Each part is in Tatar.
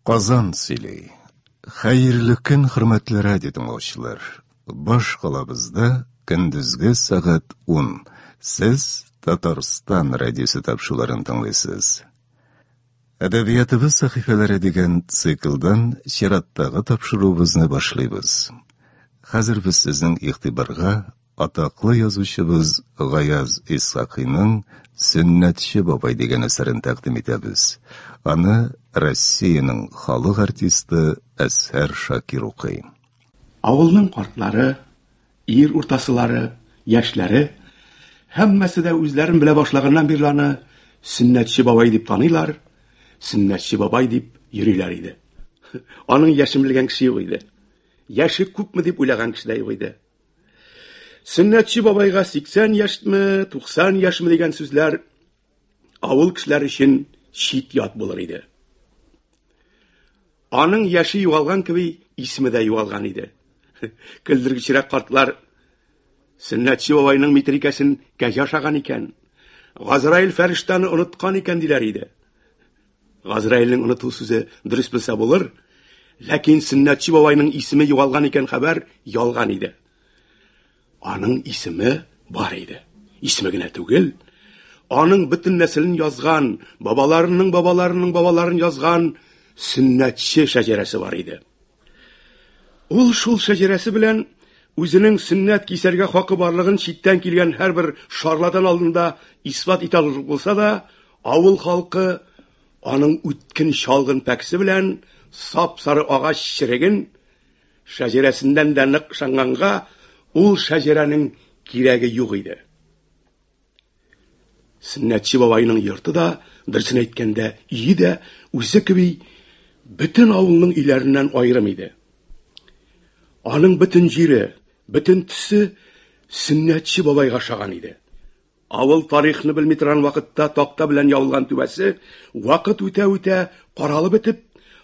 Казан сөйли. Хәерле көн, хөрмәтле радио тыңлаучылар. Баш калабызда көндезге сәгать 10. Сез Татарстан радиосы тапшыруларын тыңлыйсыз. Әдәбиятыбыз сәхифәләре дигән циклдан чираттагы тапшыруыбызны башлыйбыз. Хәзер без сезнең игътибарга Атаклы язучыбыз Гаяз Исхакыйның Сөннәтче бабай дигән әсәрен тәкъдим итәбез. Аны Россиянең халык артисты Әзһәр Шакир укый. Авылның картлары, ир уртасылары, яшьләре, һәммәсе дә үзләрен белә башлаганнан бирле аны Сөннәтче бабай дип таныйлар, Сөннәтче бабай дип йөриләр иде. Аның яшен белгән кеше юк иде. Яше күпме дип уйлаган кеше дә юк иде. Сөннәтче бабайга 80 яшьме, 90 яшьме дигән сүзләр авыл кешеләре өчен чит ят булыр иде. Аның яше югалган кеби, исеме дә югалган иде. Көлдергечрәк картлар Сөннәтче бабайның митрикәсен кәҗә ашаган икән. Газраил фәрештәне оныткан икән диләр иде. Газраилнең оныту сүзе дөрес булса булыр, ләкин Сөннәтче бабайның исеме югалган икән хәбәр ялган иде. Аның исеме бар иде. Исеме генә түгел, аның бөтен нәселен язган, бабаларының бабаларының бабаларын язган сөннәтче шәҗәрәсе бар иде. Ул шул шәҗәрәсе белән үзенең сөннәт кисәргә хакы барлыгын читтән килгән һәрбер шарлатан алдында исбат итә алырлык булса да, авыл халкы аның үткен чалгын пәкесе белән сап-сары агач череген шәҗәрәсеннән дә нык ышанганга, ул шәҗәрәнең кирәге юк иде. Сөннәтче бабайның йорты да, дөресен әйткәндә, өе дә үзе кеби бөтен авылның өйләреннән аерым иде. Аның бөтен җире, бөтен төсе Сөннәтче бабайга ошаган иде. Авыл тарихны белми торган вакытта такта белән ябылган түбәсе вакыт үтә-үтә каралып бетеп,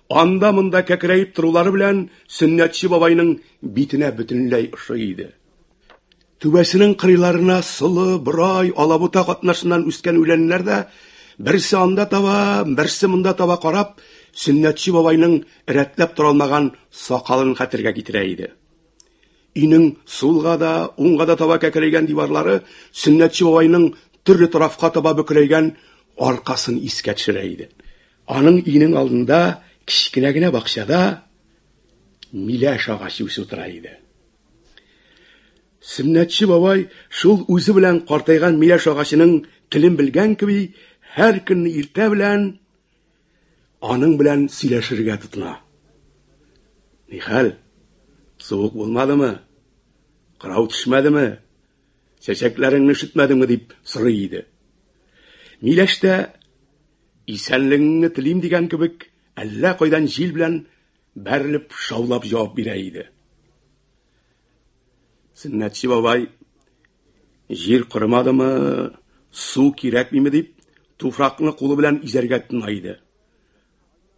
анда-монда кәкрәеп торулары белән Сөннәтче бабайның битенә бөтенләй ошый иде. Түбәсенең кырыйларына солы, борай, алабута катнашыннан үскән үләннәр дә берсе анда таба, берсе монда таба карап, Сөннәтче бабайның рәтләп тора алмаган сакалын хәтергә китерә иде. Өйнең сулга да, уңга да таба кәкрәйгән диварлары Сөннәтче бабайның төрле тарафка таба бөкрәйгән аркасын искә төшерә иде. Аның өенең алдында кечкенә генә бакчада миләш агачы үсеп утыра иде. Сөннәтче бабай шул үзе белән картайган миләш агачының телен белгән кеби, һәр көнне иртә белән аның белән сөйләшергә тотына. Нихәл? Суык булмадымы? Кырау төшмәдеме? Чәчәкләреңне өшетмәдеңме дип сорый иде. Миләш тә исәнлегеңне телим дигән кебек, әллә кайдан җил белән бәрелеп шаулап җавап бирә иде. Сөннәтче бабай җир корымадымы, су кирәкмиме дип, туфракны кулы белән изәргә тотына иде.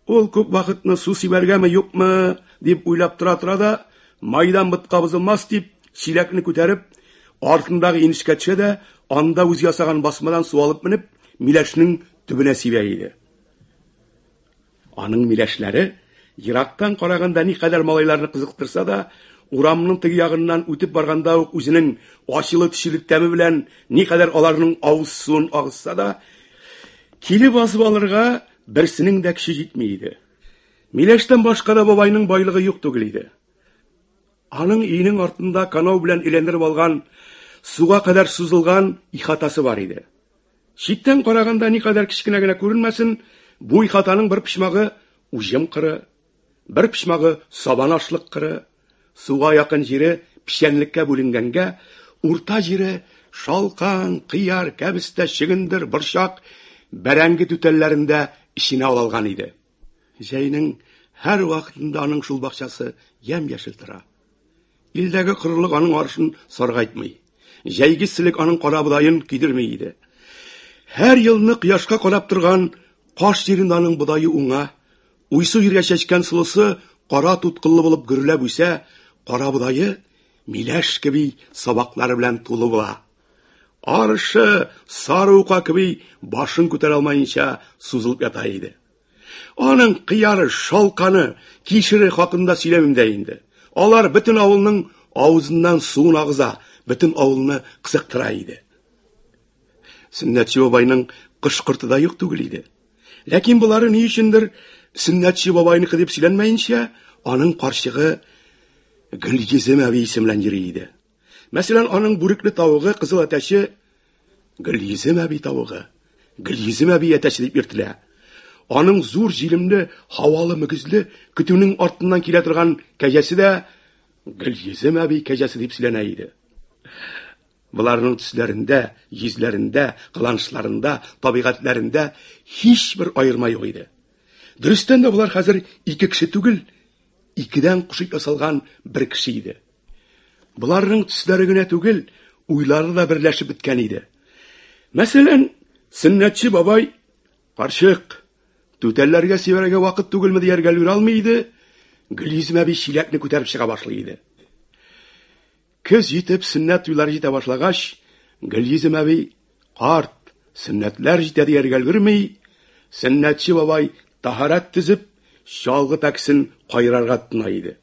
Ул күп вакытны су сибәргәме, юкмы дип уйлап тора-тора да, майдан ботка бозылмас дип, чиләкне күтәреп, артындагы инешкә төшә дә, анда үзе ясаган басмадан су алып менеп, миләшнең төбенә сибә иде. Аның миләшләре ерактан караганда никадәр малайларны кызыктырса да, урамның теге ягыннан үтеп барганда ук үзенең ачылы-төчеле тәме белән никадәр аларның авыз суын агызса да, килеп басып алырга берсенең дә көче җитми иде. Миләштән башка да бабайның байлыгы юк түгел иде. Аның өенең артында канау белән әйләндереп алган, суга кадәр сузылган ихатасы бар иде. Читтән караганда никадәр кечкенә генә күренмәсен, бу ихатаның бер почмагы уҗым кыры, бер почмагы сабан ашлык кыры, суга якын җире печәнлеккә бүленгәнгә, урта җире шалкан, кыяр, кәбестә, чөгендер, борчак, бәрәңге түтәлләрен дә эченә алалган иде. Җәйнең һәр вакытында аның шул бакчасы ямь-яшел тора. Илдәге корылык аның арышын саргайтмый. Җәйге эсселек аның карабодаен көйдерми иде. Һәр елны кояшка карап торган каш җирендә аның бодае уңа, уйсу җиргә чәчкән солысы кара туткыллы булып гөрләп үсә, карабодае миләш кеби сабаклары белән тулы була. Арышы сары ука кеби башын күтәрә алмаенча сузылып ята иде. Аның кыяры, шалканы, кишере хакында сөйләмим дә инде. Алар бөтен авылның авызыннан суын агыза, бөтен авылны кызыктыра иде. Сөннәтче бабайның кош-корты да юк түгел иде. Ләкин болары ни өчендер Сөннәтче бабайныкы дип сөйләнмәенчә, аның карчыгы Гөлйөзем әби исеме белән йөри иде. Мәсәлән, аның бүрекле тавыгы, кызыл әтәче Гөлйөзем әби тавыгы, Гөлйөзем әби әтәче дип йөртелә. Аның зур җилемле, һавалы мөгезле көтүнең артыннан килә торган кәҗәсе дә Гөлйөзем әби кәҗәсе дип сөйләнә иде. Боларның төсләрендә, йөзләрендә, кыланышларында, табигатьләрендә һичбер аерма юк иде. Дөрестән дә болар хәзер ике кеше түгел, икедән кушып ясалган бер кеше иде. Боларның төсләре генә түгел, уйлары да берләшеп беткән иде. Мәсәлән, Сөннәтче бабай Карчык, түтәлләргә сибәргә вакыт түгелме дияргә өлгерә алмый иде, Гөлйөзем әби чиләкне күтәреп чыга башлый иде. Көз җитеп, сөннәт туйлары җитә башлагач, Гөлйөзем әби, карт, сөннәтләр җитә дияргә өлгерми, сөннәтче бабай таһарәт төзеп, чалгы пәкесен кайрарга тотына иде.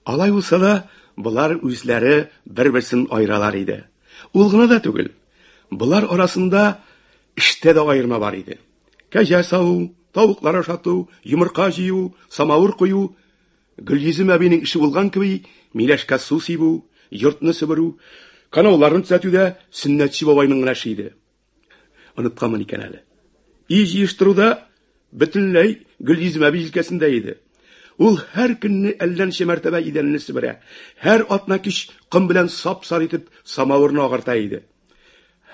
Алай булса да, болар үзләре бер-берсен аералар иде. Ул гына да түгел, болар арасында эштә дә аерма бар иде. Кәҗә саву, тавыклар ашату, йомырка җыю, самавыр кую, Гөлйөзем әбинең эше булган кеби, миләшкә су сибү, йортны себерү, канауларны төзәтү дә Сөннәтче бабайның гына эше иде. Онытканмын икән әле. Өй җыештыруда бөтенләй Гөлйөзем әби җилкәсендә иде. Ул һәр көнне әллә ничә мәртәбә идәнне себерә, һәр атна кич ком белән сап-сары итеп самавырны агарта иде.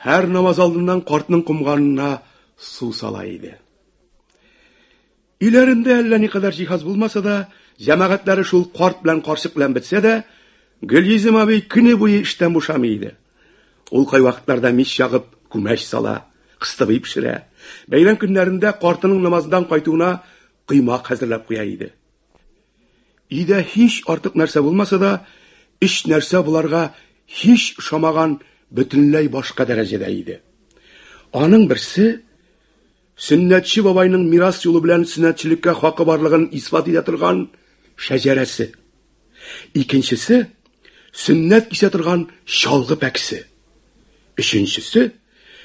Һәр намаз алдыннан картның комганына су сала иде. Өйләрендә әллә никадәр җиһаз булмаса да, җәмәгатьләре шул карт белән карчык белән бетсә дә, Гөлйөзем абый көне буе эштән бушамый иде. Ул кайвакытларда мич ягып, күмәч сала, кыстыбый пешерә. Бәйрәм көннәрендә картының намаздан кайтуына коймак хәзерләп куя иде. Өйдә һич артык нәрсә булмаса да, өч нәрсә боларга һич ошамаган бөтенләй башка дәрәҗәдә иде. Аның берсе Сөннәтче бабайның мирас юлы белән сөннәтчелеккә хакы барлыгын исбат итә торган шәҗәрәсе. Икенчесе сөннәт кисә торган чалгы пәкесе. Өченчесе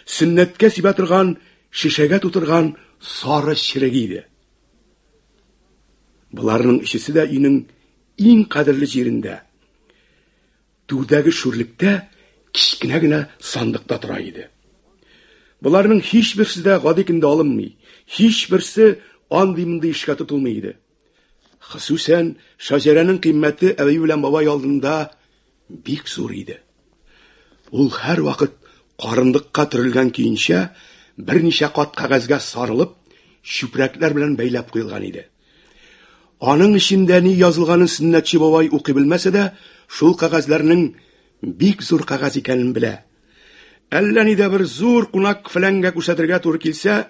сөннәткә сибә торган шешәгә тутырган сары черек иде. Боларның өчесе дә өйнең иң кадерле җирендә, Түрдәге шүрлектә кечкенә генә сандыкта тора иде. Боларның һичберсе дә гади көндә алынмый, һичберсе андый-мондый эшкә тотылмый иде. Хосусән шәҗәрәнең кыйммәте әби белән бабай алдында бик зур иде. Ул һәрвакыт карындыкка төрелгән көенчә берничә кат кәгазьгә сарылып, чүпрәкләр белән бәйләп куелган иде. Аның эчендә ни язылганын Сөннәтче бабай укый белмәсә дә, шул кәгазьләрнең бик зур кәгазь икәнен белә. Әллә нидә бер зур кунак фәләнгә күрсәтергә туры килсә,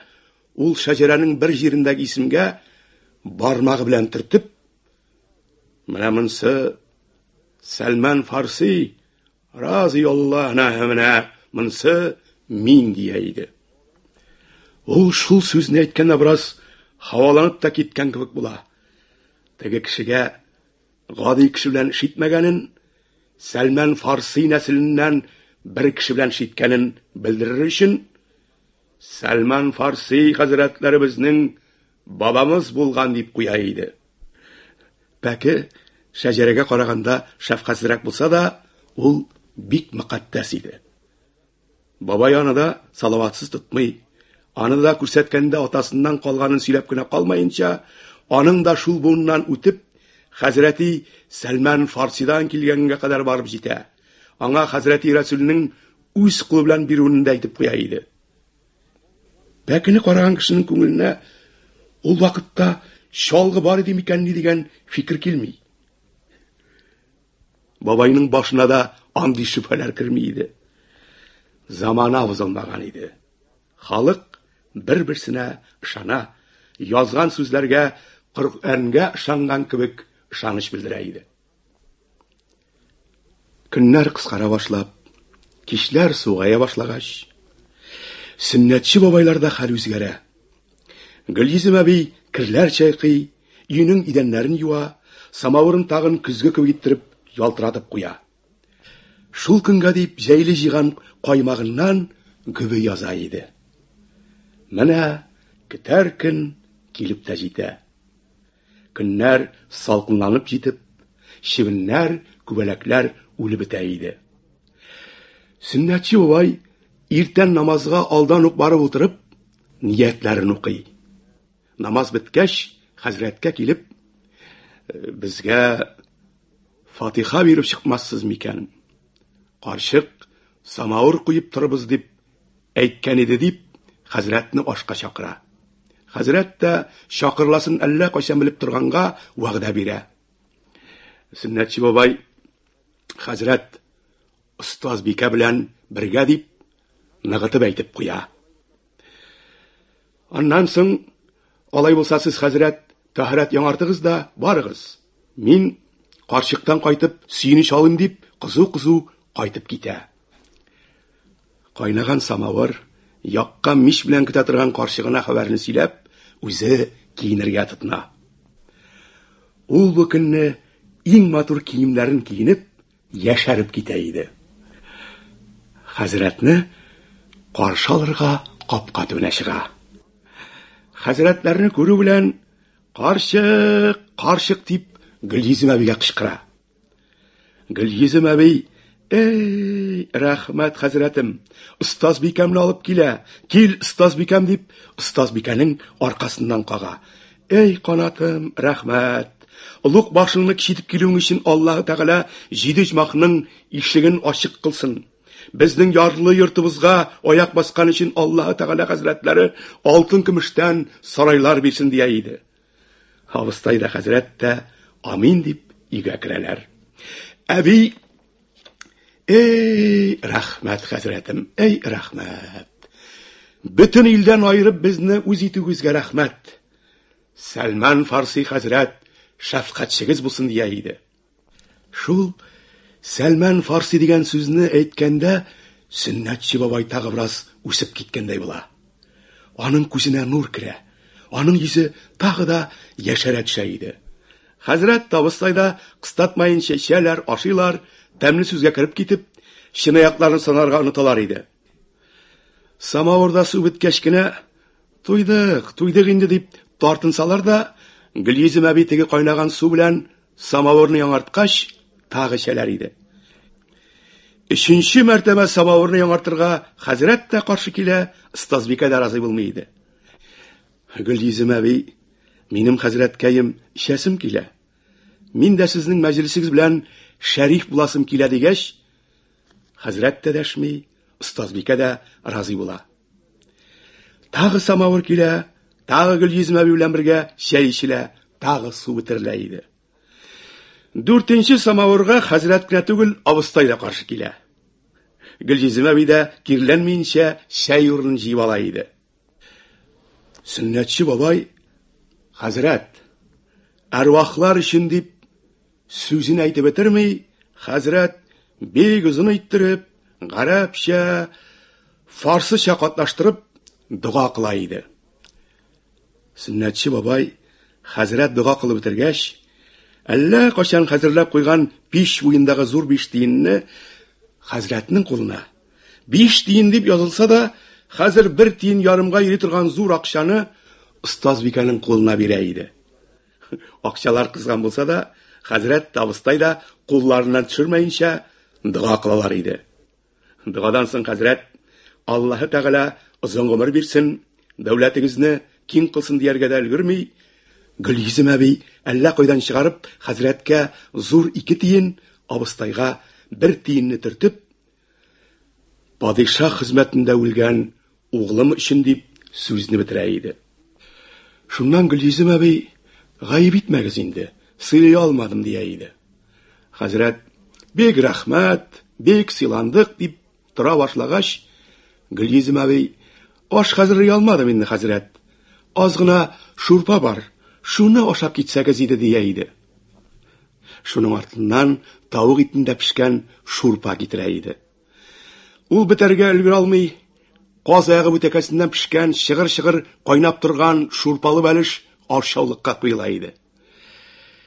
ул шәҗәрәнең бер җирендәге исемгә бармагы белән төртеп, менә монсы Сәлман Фарси, Разый Алла, менә монсы мин дия иде. Ул шул сүзне әйткәндә бераз һаваланып та киткән кебек була. Теге кешегә гади кеше белән эш итмәгәнен, Сәлмән Фарси нәселеннән бер кеше белән эш иткәнен белдерер өчен, Сәлман Фарси хәзрәтләребезнең бабамыз булган дип куя иде. Пәке шәҗәрәгә караганда шәфкатьсезрәк булса да, ул бик мөкатдәс иде. Бабай аны да салаватсыз тотмый. Аны да күрсәткәндә атасыннан калганын сөйләп кенә калмаенча, аның да шул буыннан үтеп, хәзрәти Сәлман Фарсидан килгәнгә кадәр барып җитә. Аңа хәзрәти Рәсүлнең үз кулы белән бирүен дә әйтеп куя иде. Пәкене караган кешенең күңеленә ул вакытта чалгы бар иде микәнни дигән фикер килми. Бабайның башына да андый шөбһәләр керми иде. Замана бозылмаган иде. Халык бер-берсенә ышана, язган сүзләргә Коръәнгә ышанган кебек ышаныч белдерә иде. Көннәр кыскара башлап, кичләр сугая башлагач, сөннәтче бабайларда хәл үзгәрә. Гөлйөзем әби керләр чайкый, өенең идәннәрен юа, самавырын тагын көзге кебек иттереп ялтыратып куя. Шул көнгә дип җәйле җыйган каймагыннан гөбе яза иде. Менә көтәр көн килеп тә җитә. Көннәр салкынланып җитеп, чебеннәр, күбәләкләр үлеп бетә иде. Сөннәтче бабай иртән намазга алдан ук барып утырып, ниятләрен укый. Намаз беткәч, хәзрәткә килеп, «Э, безгә фатиха биреп чыкмассыз микән? Карчык самавыр куеп торыбыз дип әйткән иде дип, хәзрәтне ашка чакыра. Хәзрәт тә чакырыласын әллә кайчан белеп торганга вәгъдә бирә. Сөннәтче бабай хәзрәт остазбикә белән бергә дип ныгытып әйтеп куя. Аннан соң алай булса сез хәзрәт тәһарәт яңартыгыз да барыгыз. Мин карчыктан кайтып сөенеч алыйм дип кызу-кызу кайтып китә. Кайнаган самавыр, яккан мич белән көтә торган карчыгына хәбәрне сөйләп, үзе киенергә тотына. Ул бу көнне иң матур киемнәрен киенеп, яшәреп китә иде. Хәзрәтне каршы алырга капка төбенә чыга. Хәзрәтләрне күрү белән «Карчык, карчык!» дип Гөлйөзем әбигә кычкыра. Гөлйөзем әби, Эй, рәхмәт, хәзрәтем, остазбикәмне алып килә, кил, остазбикәм, дип, остазбикәнең аркасыннан кага. Эй, канатым, рәхмәт. Олуг башыңны кичетеп килүең өчен Аллаһы Тәгалә җиде оҗмахның ишеген ачык кылсын. Безнең ярлы йортыбызга аяк баскан өчен Аллаһы Тәгалә хәзрәтләре алтын көмештән сарайлар бирсен дия иде. Абыстай да хәзрәт тә амин дип өйгә керәләр. Әби Эй, рәхмәт, хәзрәтем, эй, рәхмәт. Бөтен илдән аерып безне үз итүегезгә рәхмәт. Сәлман Фарси хәзрәт шәфкатьчегез булсын дия иде. Шул Сәлман Фарси дигән сүзне әйткәндә Сөннәтче бабай тагы бераз үсеп киткәндәй була. Аның күзенә нур керә. Аның йөзе тагы да яшәрә төшә иде. Хәзрәт табыстай да кыстатмаенча эчәләр, ашыйлар, тәмле сүзгә кереп китеп, чынаякларын санарга оныталар иде. Самавырда су беткәч кенә, туйдык, туйдык инде дип тартынсалар да, Гөлйөзем әби теге кайнаган су белән самавырны яңарткач, тагы эчәләр иде. Өченче мәртәбә самавырны яңартырга хәзрәт тә каршы килә, остазбикә дә разый булмый иде. Гөлйөзем әби, минем хәзрәткәем эчәсем килә. Мин дә сезнең мәҗлесегез белән шәриф буласым килә дигәч, хәзрәт тә дәшми, остазбикә дә разый була. Тагы самавыр килә, тагы Гөлйөзем әби белән бергә чәй эчелә, тагы су бетерелә иде. Дүртенче самавырга хәзрәт кенә түгел, абыстай да каршы килә. Гөлйөзем әби дә кирләнмиенчә чәй урынын җыеп ала иде. Сөннәтче бабай, хәзрәт, әрвахлар өчен дип сүзен әйтеп бетерми, хәзрәт бик озын иттереп, гарәпчә, фарсыча катнаштырып дога кыла иде. Сөннәтче бабай хәзрәт дога кылып бетергәч, әллә кайчан хәзерләп куйган пич буендагы зур биш тиенне хәзрәтнең кулына, биш тиен дип язылса да, хәзер бер тиен ярымга йөри торган зур акчаны остазбикәнең кулына бирә иде. Акчалар кызган булса да, хәзрәт тә абыстай да кулларыннан төшермәенчә дога кылалар иде. Догадан соң хәзрәт Аллаһы Тәгалә озын гомер бирсен, дәүләтегезне киң кылсын дияргә дә өлгерми, Гөлйөзем әби әллә кайдан чыгарып хәзрәткә зур ике тиен, абыстайга бер тиенне төртеп, падишаһ хезмәтендә үлгән углым өчен дип сүзне бетерә иде. Шуннан Гөлйөзем әби, гаеп итмәгез инде, сыйлый алмадым дия иде. Хәзрәт, бик рәхмәт, бик сыйландык дип тора башлагач, Гөлйөзем әби, аш хәзерли алмадым инде, хәзрәт. Аз гына шурпа бар, шуны ашап китсәгез иде дия иде. Шуның артыннан тавык итендә пешкән шурпа китерә иде. Ул бетәргә өлгерә алмый. Каз аягы бүтәкәсеннән пешкән, чыгыр-чыгыр кайнап торган шурпалы бәлеш ашъяулыкка куела иде.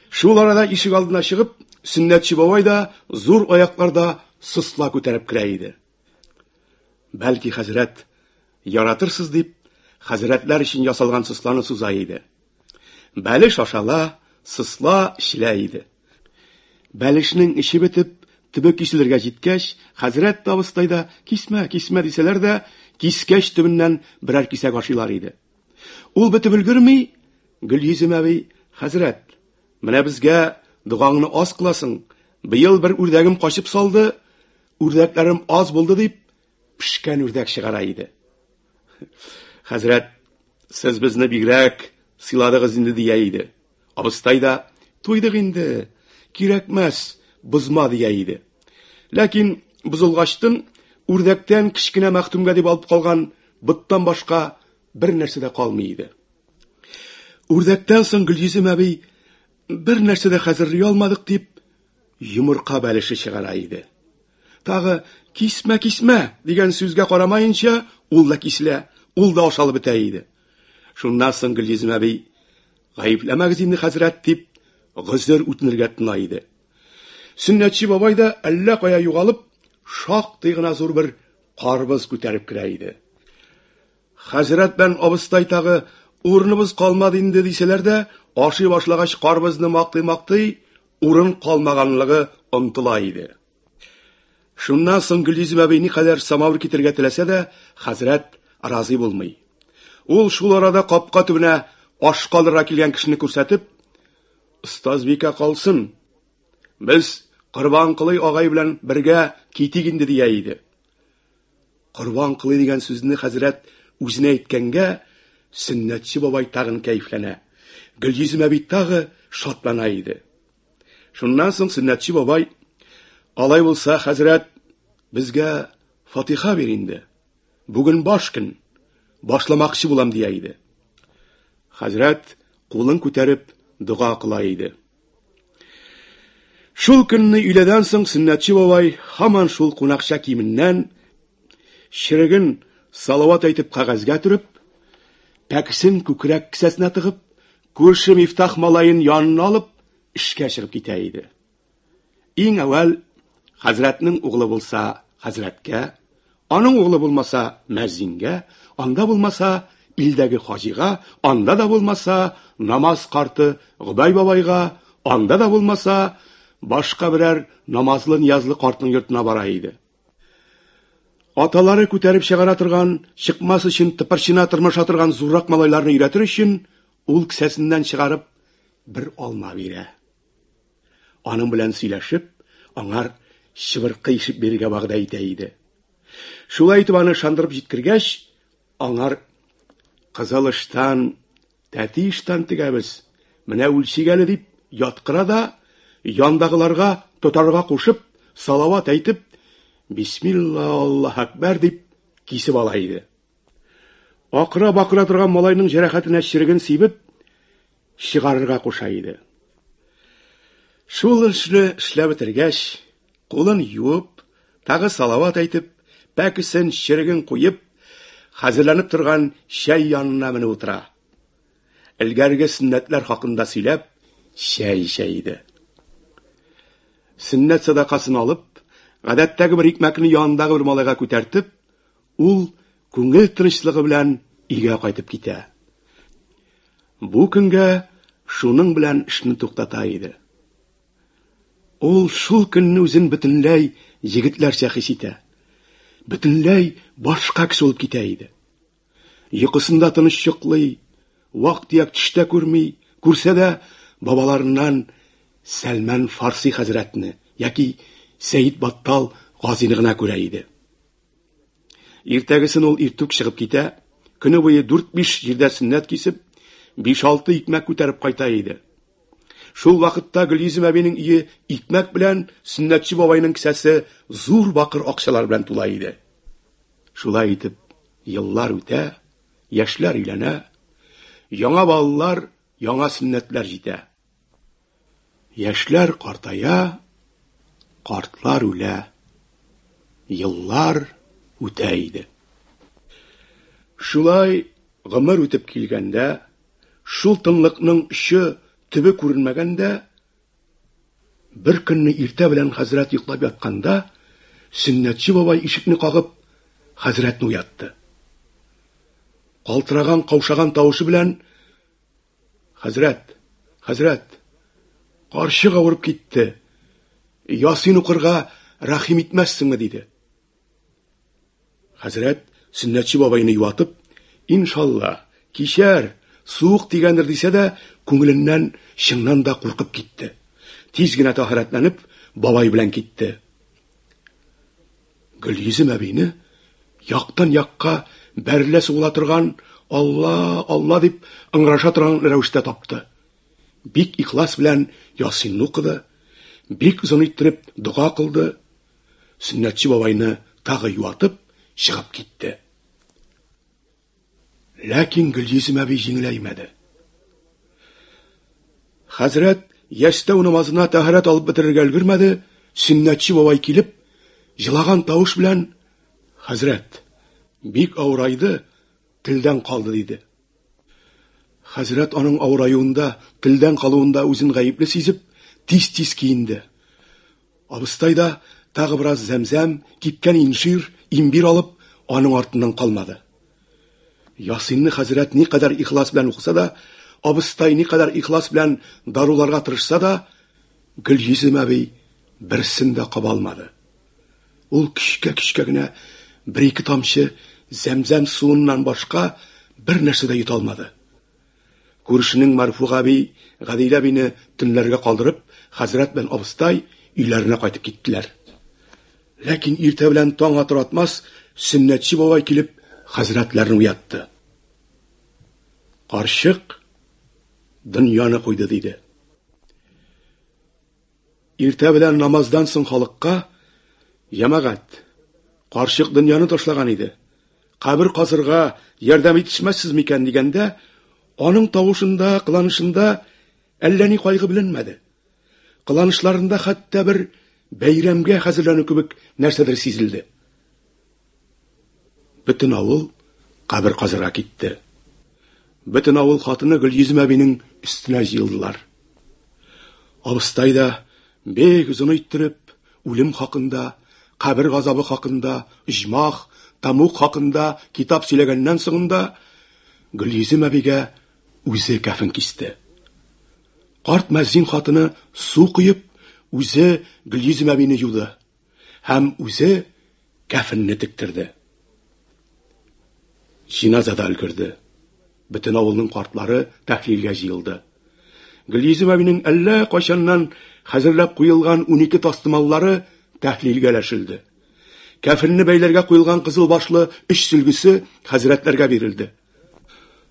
Шул арада ишек алдына чыгып, Сөннәтче бабай да зур аякларда сосла күтәреп керә иде. Бәлки хәзрәт яратырсыз дип, хәзрәтләр өчен ясалган сосланы суза иде. Бәлеш ашала, сосла эчелә иде. Бәлешнең эче бетеп, төбе киселергә җиткәч, хәзрәт тә абыстай да кисмә, кисмә дисәләр дә, кискәч төбеннән берәр кисәк ашыйлар иде. Ул бетеп өлгерми, Гөлйөзем әби, хәзрәт, менә безгә догаңны аз кыласың, быел бер үрдәгем качып салды, үрдәкләрем аз булды дип, пешкән үрдәк чыгара иде. Хәзрәт, сез безне бигрәк сыйладыгыз инде дия иде. Абыстай да, туйдык инде, кирәкмәс, бозма дия иде. Ләкин бозылгачтын үрдәктән кечкенә мәхтүмгә дип алып калган боттан башка бер нәрсә дә калмый иде. Үрдәктән соң Гөлйөзем әби бер нәрсә дә хәзерли алмадык дип йомырка бәлеше чыгара иде. Тагы кисмә, кисмә дигән сүзгә карамаенча, ул да киселә, ул да ашалып бетә иде. Шуннан соң Гөлйөзем әби гаепләмәгез инде хәзрәт дип гозер үтенергә тотына иде. Сөннәтче бабай да әллә кая югалып, шактый гына зур бер карбыз күтәреп керә иде. Хәзрәт белән абыстай тагы урыныбыз калмады инде дисәләр дә, ашый башлагач карбызны мактый-мактый, урын калмаганлыгы онтыла иде. Шуннан соң Гөлйөзем әби никадәр самавыр китерергә теләсә дә, хәзрәт разый булмый. Ул шул арада капка төбенә аш калырга килгән кешене күрсәтеп, "Остазбикә калсын. Без Корбанколый агай белән бергә китик инде" дия иде. Корбан кылый дигән сүзне хәзрәт үзенә әйткәнгә, Сөннәтче бабай тагын кәефләнә. Гөлйөзем әби тагы шатлана иде. Шуннан соң Сөннәтче бабай, алай булса, хәзрәт, безгә фатиха бир инде. Бүген баш көн, башламакчы булам дия иде. Хәзрәт кулын күтәреп дога кыла иде. Шул көнне өйләдән соң Сөннәтче бабай һаман шул кунакча киеменнән череген салават әйтеп кәгазьгә төреп, пәкесен күкрәк кесәсенә тыгып, күрше Мифтах малаен янына алып, эшкә чыгып китә иде. Иң әүвәл хәзрәтнең углы булса, хәзрәткә, аның углы булмаса, мәзингә, анда булмаса, илдәге хаҗига, анда да булмаса, намаз карты Гобәй бабайга, анда да булмаса, башка берәр намазлы-ниязлы картның йортына бара иде. Аталары күтәреп чыгара торган, чыкмас өчен тыпырчына тырмаша торган зуррак малайларны өйрәтер өчен, ул кесәсеннән чыгарып бер алма бирә. Аның белән сөйләшеп, аңар чыбыркы ишеп бирергә вәгъдә итә иде. Шулай итеп аны ышандырып җиткергәч, аңар кызыл ыштан, тәти ыштан тегәбез, менә үлчик әле дип яткыра да, яндагыларга тотарга кушып, салават әйтеп, Бисмилла, Аллаһ әкбәр дип кисеп ала иде. Акыра-бакыра торган малайның җәрәхәтенә череген сибеп, чыгарырга куша иде. Шул эшне эшләп бетергәч, кулын юып, тагы салават әйтеп, пәкесен, череген куеп, хәзерләнеп торган чәй янына менеп утыра. Элгәрге сөннәтләр хакында сөйләп, чәй эчә иде. Сөннәт садакасын алып, гадәттәге бер икмәкне янындагы бер малайга күтәртеп, Ул күңел тынычлыгы белән өйгә кайтып китә. Бу көнгә шуның белән эшне туктата иде. Ул шул көнне үзен бөтенләй егетләрчә хис итә. Бөтенләй башка кеше булып китә иде. Йокысында тыныч йоклый, вак-төяк төштә күрми, күрсә дә бабаларыннан Сәлмән Фарси хәзрәтне яки Сәид Баттал Газины гына күрә иде. Иртәгесен ул иртүк чыгып китә, көне буе дүрт-биш җирдә сөннәт кисеп, биш-алты икмәк күтәреп кайта иде. Шул вакытта Гөлйөзем әбинең өе икмәк белән, сөннәтче бабайның кесәсе зур бакыр акчалар белән тула иде. Шулай итеп, еллар үтә, яшьләр өйләнә, яңа балалар, яңа сөннәтләр җитә. Яшьләр картая, картлар үлә. Еллар үтә иде. Шулай гомер үтеп килгәндә, шул тынлыкның очы, төбе күренмәгәндә, бер көнне иртә белән хәзрәт йоклап ятканда, Сөннәтче бабай ишекне кагып, хәзрәтне уятты. Калтыраган, каушаган тавышы белән: "Хәзрәт, хәзрәт, карчык авырып китте. Ясин укырга рәхим итмәссеңме?" диде. Хәзрәт Сөннәтче бабайны юатып, "Иншалла, кичәр, суык тигәндер" дисә дә, күңеленнән чыннан да куркып китте. Тиз генә тәһарәтләнеп, бабай белән китте. Гөлйөзем әбине яктан якка бәрелә сугыла торган Алла, Алла дип ыңгыраша торган рәвештә тапты. Бик ихлас белән Ясинны укыды, бик озын иттереп дога кылды. Сөннәтче бабайны тагы юатып чыгып китте. Ләкин Гөлйөзем әби җиңеләймәде. Хәзрәт ястәү намазына тәһарәт алып бетерергә өлгермәде, сөннәтче бабай килеп, җылаган тавыш белән: "Хәзрәт, бик авырайды, телдән калды", диде. Хәзрәт аның авыраюында, телдән калуында үзен гаепле сизеп, тиз-тиз киенде. Абыстай да тагы бераз зәмзәм, кипкән инжир, имбир алып, аның артыннан калмады. Ясинны хәзрәт никадәр ихлас белән укыса да, абыстай никадәр ихлас белән даруларга тырышса да, Гөлйөзем әби берсен дә каба алмады. Ул көчкә-көчкә генә бер-ике тамчы зәмзәм суыннан башка бер нәрсә дә йота алмады. Күршенең Марфуга әби Гадилә әбине төнләргә калдырып, хәзрәт белән абыстай өйләренә кайтып киттеләр. Ләкин иртә белән таң атыр атмас, Сөннәтче бабай килеп, хәзрәтләрне уятты. Карчык дөньяны куйды, диде. Иртә белән намаздан соң халыкка, Җәмәгать, карчык дөньяны ташлаган иде. Кабер казырга ярдәм итешмәссез микән дигәндә, аның тавышында, кыланышында әллә ни кайгы беленмәде. Кыланышларында хәтта бер бәйрәмгә хәзерләнү кебек нәрсәдер сизелде. Бөтен авыл кабер казырга китте. Бөтен авыл хатыны Гөлйөзем әбинең өстенә җыелдылар. Абыстай да бик озын иттереп үлем хакында, кабер газабы хакында, оҗмах, тәмуг хакында китап сөйләгәннән соңында Гөлйөзем әбигә үзе кәфен кисте. Карт мәзин хатыны су коеп, үзе Гөлйөзем әбине юды һәм үзе кәфенне тектерде. Җиназа да өлгерде. Бөтен авылның картлары тәхлилгә җыелды. Гөлйөзем әбинең әллә кайчаннан хәзерләп куелган 12 тастымаллары тәхлилгә өләшелде. Кәфенне бәйләргә куелган кызыл башлы өч сөлгесе хәзрәтләргә бирелде.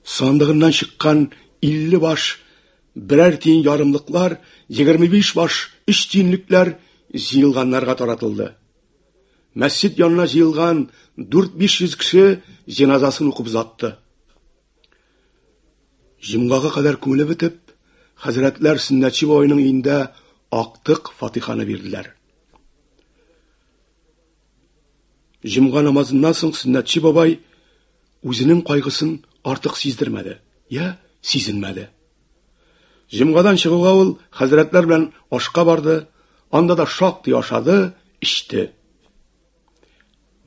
Сандыгыннан чыккан 50 баш берәр тиен ярымлыклар, 25 баш өч тиенлекләр җыелганнарга таратылды. Мәсҗид янына җыелган 4-500 кеше җеназасын укып озатты. Җомгага кадәр күңеле бетеп, хәзрәтләр Сөннәтче бабайның өендә актык фатиханы бирделәр. Җомга намазыннан соң Сөннәтче бабай үзенең кайгысын артык сиздермәде, я сизенмәде. Җомгадан чыгуга ул хәзрәтләр белән ашка барды, анда да шактый ашады, эчте.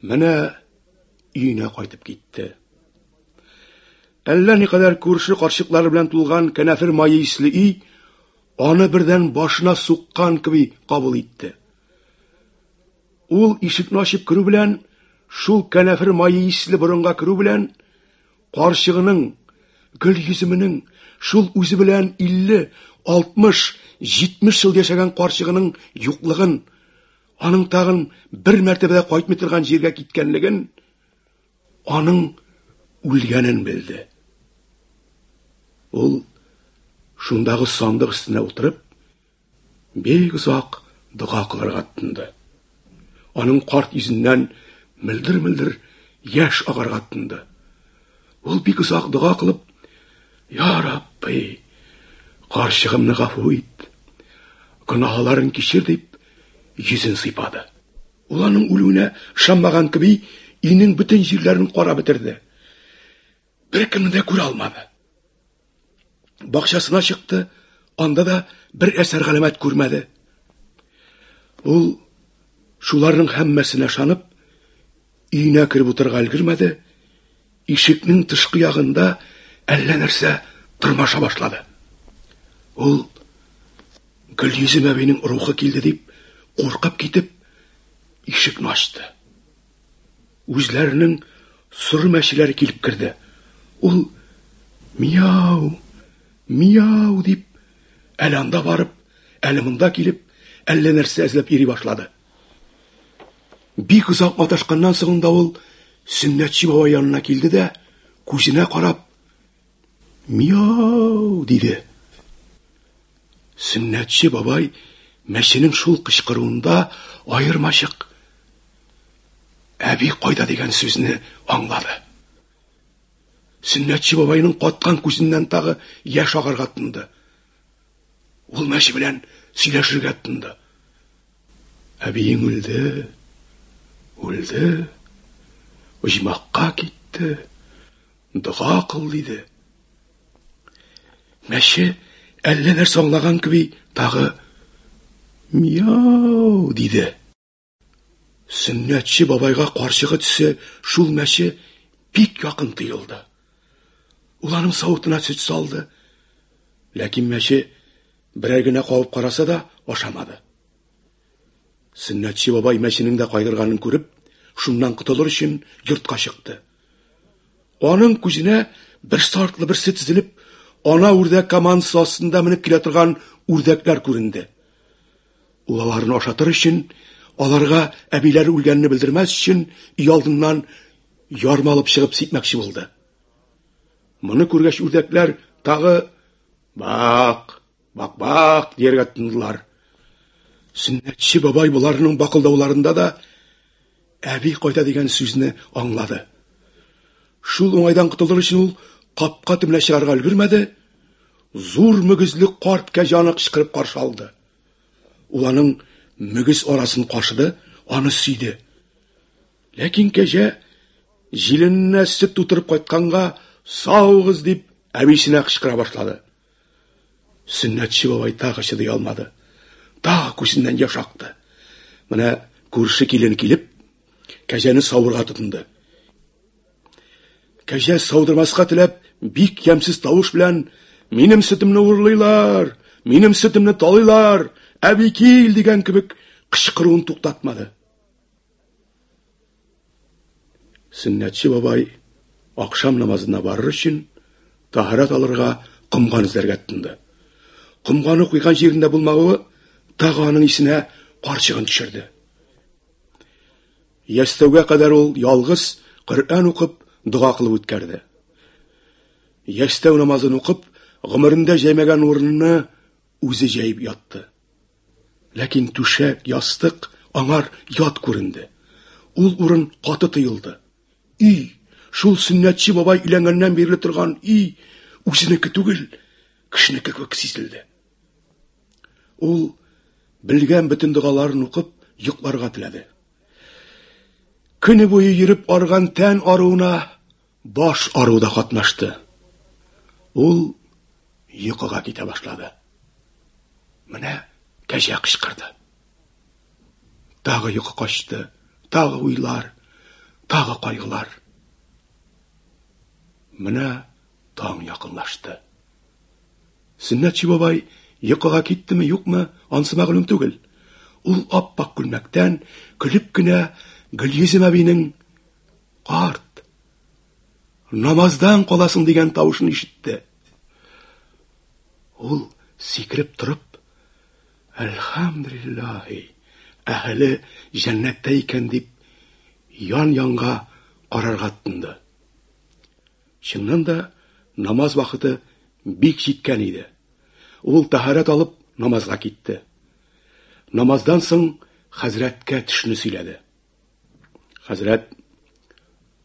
Менә өенә кайтып китте. Әллә никадәр күрше карчыклары белән тулган кәнәфер мае исле өй аны бердән башына суккан кеби кабул итте. Ул ишекне ачып керү белән, шул кәнәфер мае исле борынга керү белән, карчыгының, гөл йөземенең, шул үзе белән 50, 60, 70 ел яшәгән карчыгының юклыгын, аның тагын бер мәртәбә дә кайтмый торган җиргә киткәнлеген, аның үлгәнен белде. Ул шундагы сандык өстенә утырып, бик озак дога кылырга тотынды. Аның карт йөзеннән мөлдер-мөлдер яшь агарга тотынды. Ул бик озак дога кылып, Я Рабби, карчыгымны гафу ит, гөнаһларын кичер дип, йөзен сыйпады. Ул аның үлүенә ышанмаган кеби, өйнең бөтен җирләрен карап бетерде. Беркемне дә күрә алмады. Бакчасына чыкты, анда да бер әсәр галәмәт күрмәде. Ул шуларның һәммәсенә ышанып, өенә кереп утырырга өлгермәде, ишекнең тышкы ягында әллә нәрсә тырмаша башлады. Ул Гөлйөзем әбинең рухы килде дип, куркып китеп, ишекне ачты. Үзләренең соры мәчеләре килеп керде. Ул мияу, мияу дип, әле анда барып, әле монда килеп, әллә нәрсә эзләп йөри башлады. Бик озак маташканнан соң да ул Сөннәтче бабай янына килде дә, күзенә карап, Мияу! диде. Сөннәтче бабай мәченең шул кычкыруында аермачык әби кайда дигән сүзне аңлады. Сөннәтче бабайның каткан күзеннән тагы яшь агарга тотынды. Ул мәче белән сөйләшергә тотынды. Әбиең үлде, үлде, оҗмахка китте. Дога кыл, диде. Мәче әллә нәрсә аңлаган кеби тагы мияу диде. Сөннәтче бабайга карчыгы төсе шул мәче бик якын тоелды. Ул аның савытына сөт салды. Ләкин мәче берәр генә кабып караса да ашамады. Сөннәтче бабай мәченең дә кайгырганын күреп, шуннан котылыр өчен йортка чыкты. Аның күзенә берсе артлы берсе тезелеп, ана үрдәк командасы астында менеп килә торган үрдәкләр күренде. Ул аларны ашатыр өчен, аларга әбиләре үлгәнне белдермәс өчен өйалдыннан ярма алып чыгып сипмәкче булды. Моны күргәч үрдәкләр тагы бак, Бак-бак дияргә тотындылар. Сөннәтче бабай боларның бакылдауларында да әби кайта дигән сүзне аңлады. Шул уңайдан котылыр өчен ул капка төбенә чыгарга өлгермәде, зур мөгезле карт кәҗә аны кычкырып каршы алды. Ул аның мөгез арасын кашыды, аны сөйде. Ләкин кәҗә җилененә сөт тутырып кайтканга саугыз дип әбисенә кычкыра башлады. Сөннәтче бабай тагы чыдый алмады. Тагы күзеннән яшь акты. Менә күрше килен килеп, кәҗәне савырга тотынды. Кәҗә саудырмаска теләп, бик ямьсез тавыш белән: "Минем сөтемне урлыйлар, минем сөтемне талыйлар, әби кил!" дигән кебек кычкыруын туктатмады. Сөннәтче бабай ахшам намазына барыр өчен таһарат алырга комган эзләргә тотынды. Комганы куйган җирендә булмавы тагы аның исенә карчыгын төшерде. Ястәүгә кадәр ул ялгыз Коръән укып, дога кылып үткәрде. Ястәү намазын укып, гомерендә җәймәгән урынны үзе җәеп ятты. Ләкин түшәк, ястык аңар ят күренде. Ул урын каты тоелды. Өй, шул сөннәтче бабай өйләнгәннән бирле торган өй, үзенеке түгел, кешенеке кебек сизелде. Ул белгән бөтен догаларын укып, йокларга теләде. Көне буе йөреп арган тән аруына баш ару да катнашты. Ул йокыга китә башлады. Менә кәҗә кычкырды. Тагы йокы качты, тагы уйлар, тагы кайгылар. Менә таң якынлашты. Сөннәтче бабай йокыга киттеме, юкмы, ансы мәгълүм түгел. Ул ап-ак күлмәктән көлеп кенә Гөлйөзем әбинең Карт, намаздан каласың дигән тавышын ишетте. Ул сикереп торып, Әлхәмдүлиллаһи, әһеле җәннәттә икән дип, ян-янга карарга тотынды. Чыннан да намаз вакыты бик җиткән иде. Ул тәһарәт алып намазга китте. Намаздан соң хәзрәткә төшне сөйләде. Хәзрәт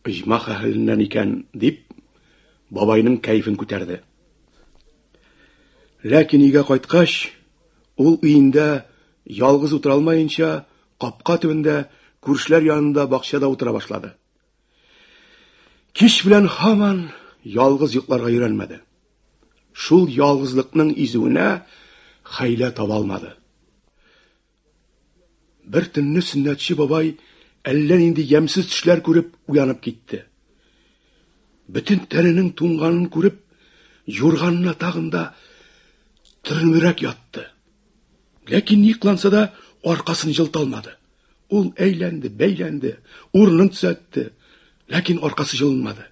оҗмах әһеленнән икән, дип, бабайның кәефен күтәрде. Ләкин өйгә кайткач, ул өендә ялгыз утыра алмаенча, капка төбендә, күршеләр янында бакчада утыра башлады. Кич белән һаман ялгыз йокларга өйрәнмәде. Шул ялгызлыкның изүенә хәйлә таба алмады. Бер төнне Сөннәтче бабай әллә нинди ямьсез төшләр күреп уянып китте. Бөтен тәненең туңганын күреп, юрганына тагын да төренебрәк ятты. Ләкин ни кыланса да аркасын җылыта алмады. Ул әйләнде, бәйләнде, урынын төзәтте, ләкин аркасы җылынмады.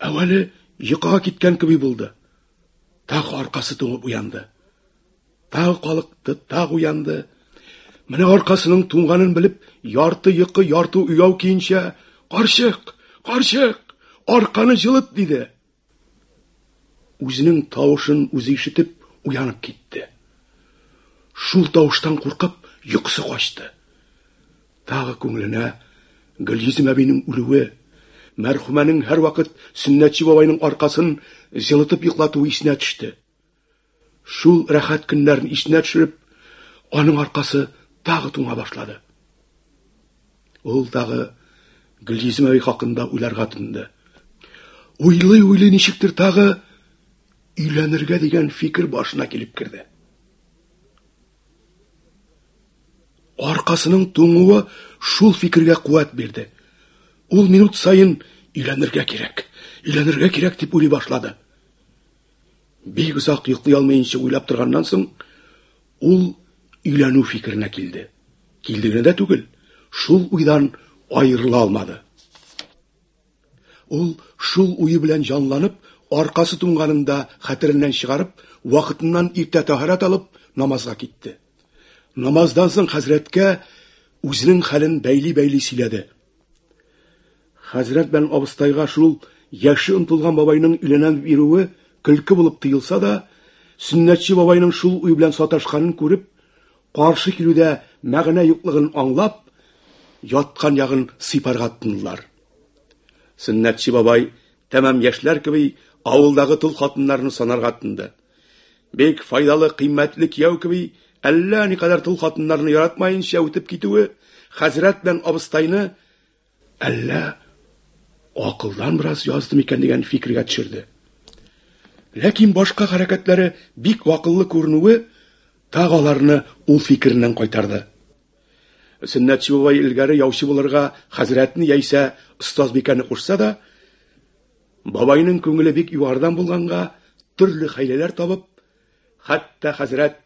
Әүвәле йокыга киткән кеби булды. Тагы аркасы туңып уянды. Тагы калыкты, тагы уянды. Менә аркасының туңганын белеп, ярты йокы, ярты уяу киенчә, "Карчык, карчык, арканы җылыт" диде. Үзенең тавышын үзе ишетеп уянып китте. Шул тавыштан куркып, йокысы качты. Тагы күңеленә Гөлйөзем әбинең үлүе, мәрхүмәнең һәрвакыт Сөннәтче бабайның аркасын җылытып йоклатуы исенә төште. Шул рәхәт көннәрен исенә төшереп, аның аркасы тагы туңа башлады. Ул тагы Гөлйөзем әби хакында уйларга тотынды. Уйлый-уйлый ничектер тагы өйләнергә дигән фикер башына килеп керде. Аркасының туңуы шул фикергә куәт бирде. Ул минут саен өйләнергә кирәк, өйләнергә кирәк дип уйлый башлады. Бик озак йоклый алмыйнча уйлап торганнан соң, ул өйләнү фикеренә килде. Килде генә дә түгел, шул уйдан аерыла алмады. Ул шул уе белән җанланып, аркасы туңганын да хәтереннән чыгарып, вакытыннан иртә тәһарәт алып, намазга китте. Намаздан соң хәзрәткә үзенең хәлен бәйли-бәйли сөйләде. Хәзрәт белән абыстайга шул яше онтылган бабайның өйләнәм дип йөрүе көлке булып тоелса да, Сөннәтче бабайның шул уй белән саташканын күреп, каршы килүдә мәгънә юклыгын аңлап, яткан ягын сыйпарга тотындылар. Сөннәтче бабай тәмам яшьләр кеби авылдагы тол хатыннарны санарга тотынды. Бик файдалы, кыйммәтле кияү кеби әллә никадәр тол хатыннарны яратмаенча үтеп китүе хәзрәт белән абыстайны әллә акылдан бераз язды микән дигән фикергә төшерде. Ләкин башка хәрәкәтләре бик акыллы күренүе тагы аларны ул фикереннән кайтарды. Сөннәтче бабай элгәре яучы булырга хәзрәтне яисә остазбикәне кушса да, бабайның күңеле бик югарыдан булганга, төрле хәйләләр табып, хәтта хәзрәт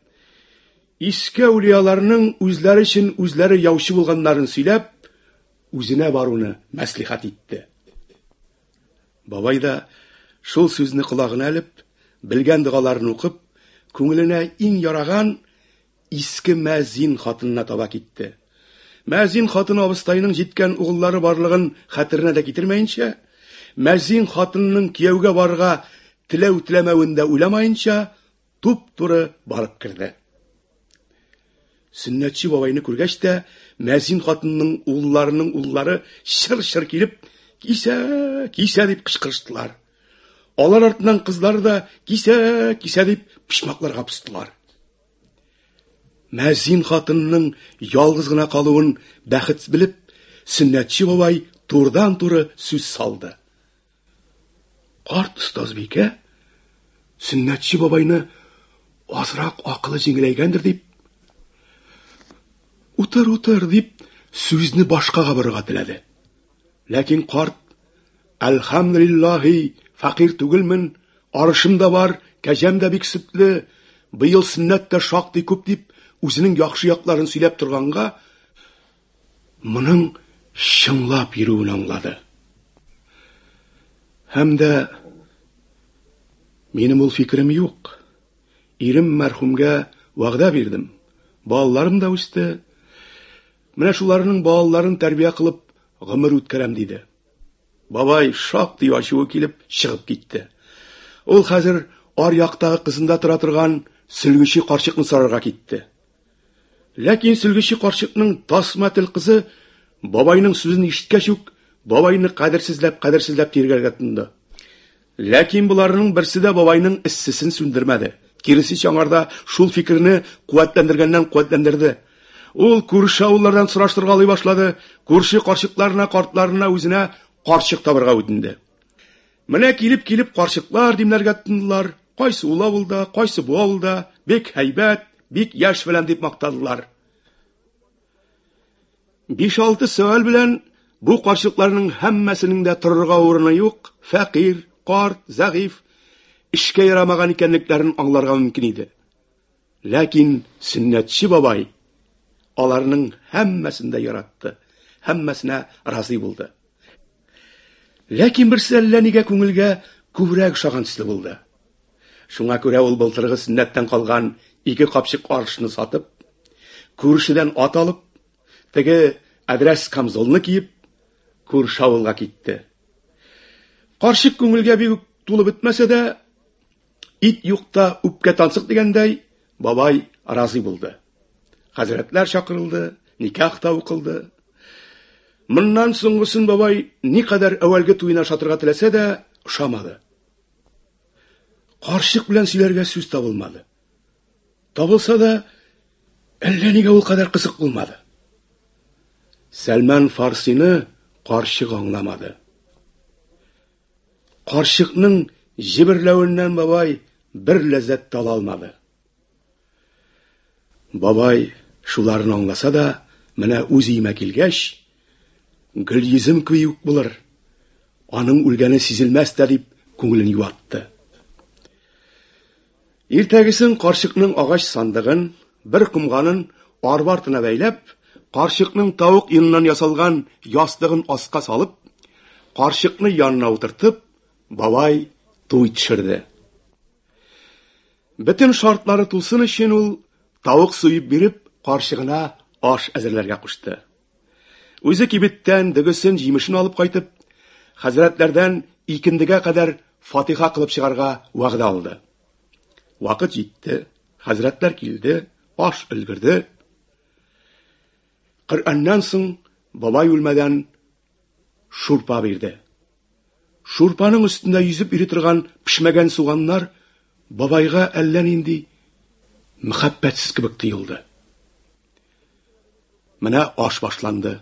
иске әүлияларның үзләре өчен үзләре яучы булганнарын сөйләп, үзенә баруны мәслихәт итте. Бабай да шул сүзне колагына элеп, белгән догаларын укып, күңеленә иң яраган иске мәзин хатынына таба китте. Мәзин хатыны абыстайның җиткән угыллары барлыгын хәтеренә дә китермәенчә, мәзин хатынының кияүгә барырга теләү-теләмәвен дә уйламаенча, туп-туры барып керде. Сөннәтче бабайны күргәч тә, мәзин хатынның улларының уллары чыр-чыр килеп, кисә, кисә дип кычкырыштылар. Алар артыннан кызлары да кисә, кисә дип почмакларга постылар. Мәзин хатынның ялгыз гына калуын бәхет белеп, Сөннәтче бабай турыдан-туры сүз салды. Карт остазбикә Сөннәтче бабайны азрак акылы җиңеләйгәндер дип, утыр, утыр дип сүзне башкага борырга теләде. Ләкин карт Әлхәмдүлиллаһи, фәкыйрь түгелмен, арышым да бар, кәҗәм дә бик сөтле, быел сөннәт тә шактый күп дип, үзенең яхшы якларын сөйләп торганга, моның чынлап йөрүен аңлады. Һәм дә минем ул фикерем юк. Ирем мәрхүмгә вәгъдә бирдем. Балаларым да үсте. Менә шуларның балаларын тәрбия кылып гомер үткәрәм, диде. Бабай шактый ачуы килеп чыгып китте. Ул хәзер ар яктагы кызында тора торган сөлгече карчыкны сорарга китте. Ләкин сөлгече карчыкның тасма тел кызы бабайның сүзен ишеткәч үк бабайны кадерсезләп-кадерсезләп тиргәргә тотынды. Ләкин боларның берсе дә бабайның эссесен сүндермәде. Киресенчә, аңарда шул фикерне куәтләндергәннән куәтләндерде. Ул күрше авыллардан сораштыргалый башлады, күрше карчыкларына, картларына үзенә карчык табырга үтенде. Менә килеп-килеп карчыклар димләргә тотындылар. Кайсы ул авылда, кайсы бу авылда, бик һәйбәт, бик яшь белән дип мактадылар. Биш-алты сөаль белән бу карчыкларның һәммәсенең дә торырга урыны юк, фәкыйрь, карт, зәгыйфь, эшкә ярамаган икәнлекләрен аңларга мөмкин иде. Ләкин Сөннәтче бабай аларның һәммәсен дә яратты, һәммәсенә разый булды. Ләкин берсе әллә нигә күңелгә күбрәк ошаган төсле булды. Шуңа күрә ул былтыргы сөннәттән калган ике капчык арышны сатып, күршедән ат алып, теге әдрәс камзолны киеп, күрше авылга китте. Карчык күңелгә бик үк тулып бетмәсә дә, Ит юкта үпкә тансык дигәндәй, бабай разый булды. Хәзрәтләр чакырылды, никах та укылды. Моннан соңгысын бабай никадәр әүвәлге туена ошатырга теләсә дә, ошамады. Карчык белән сөйләргә сүз табылмады. Табылса да, әллә нигә ул кадәр кызык булмады. Сәлман Фарсины карчык аңламады. Карчыкның җеберләвеннән бабай бер ләззәт тә ала алмады. Бабай шуларны аңласа да, менә үз өемә килгәч, Гөлйөзем кеби үк булыр, аның үлгәне сизелмәс тә дип күңелен юатты. Иртәгесен карчыкның агач сандыгын, бер комганын арба артына бәйләп, карчыкның тавык йоныннан ясалган ястыгын аска салып, карчыкны янына утыртып, бабай туй төшерде. Бөтен шартлары тулсын өчен ул тавык суеп биреп, карчыгына аш әзерләргә кушты. Үзе кибеттән дөгесен, җимешен алып кайтып, хәзрәтләрдән икендегә кадәр фатиха кылып чыгарга вәгъдә алды. Вакыт җитте, хәзрәтләр килде, аш өлгерде. Коръәннән соң бабай үлмәдән шурпа бирде. Шурпаның өстендә йөзеп йөри торган пешмәгән суганнар бабайга әллә нинди мәхәббәтсез кебек тоелды. Менә аш башланды.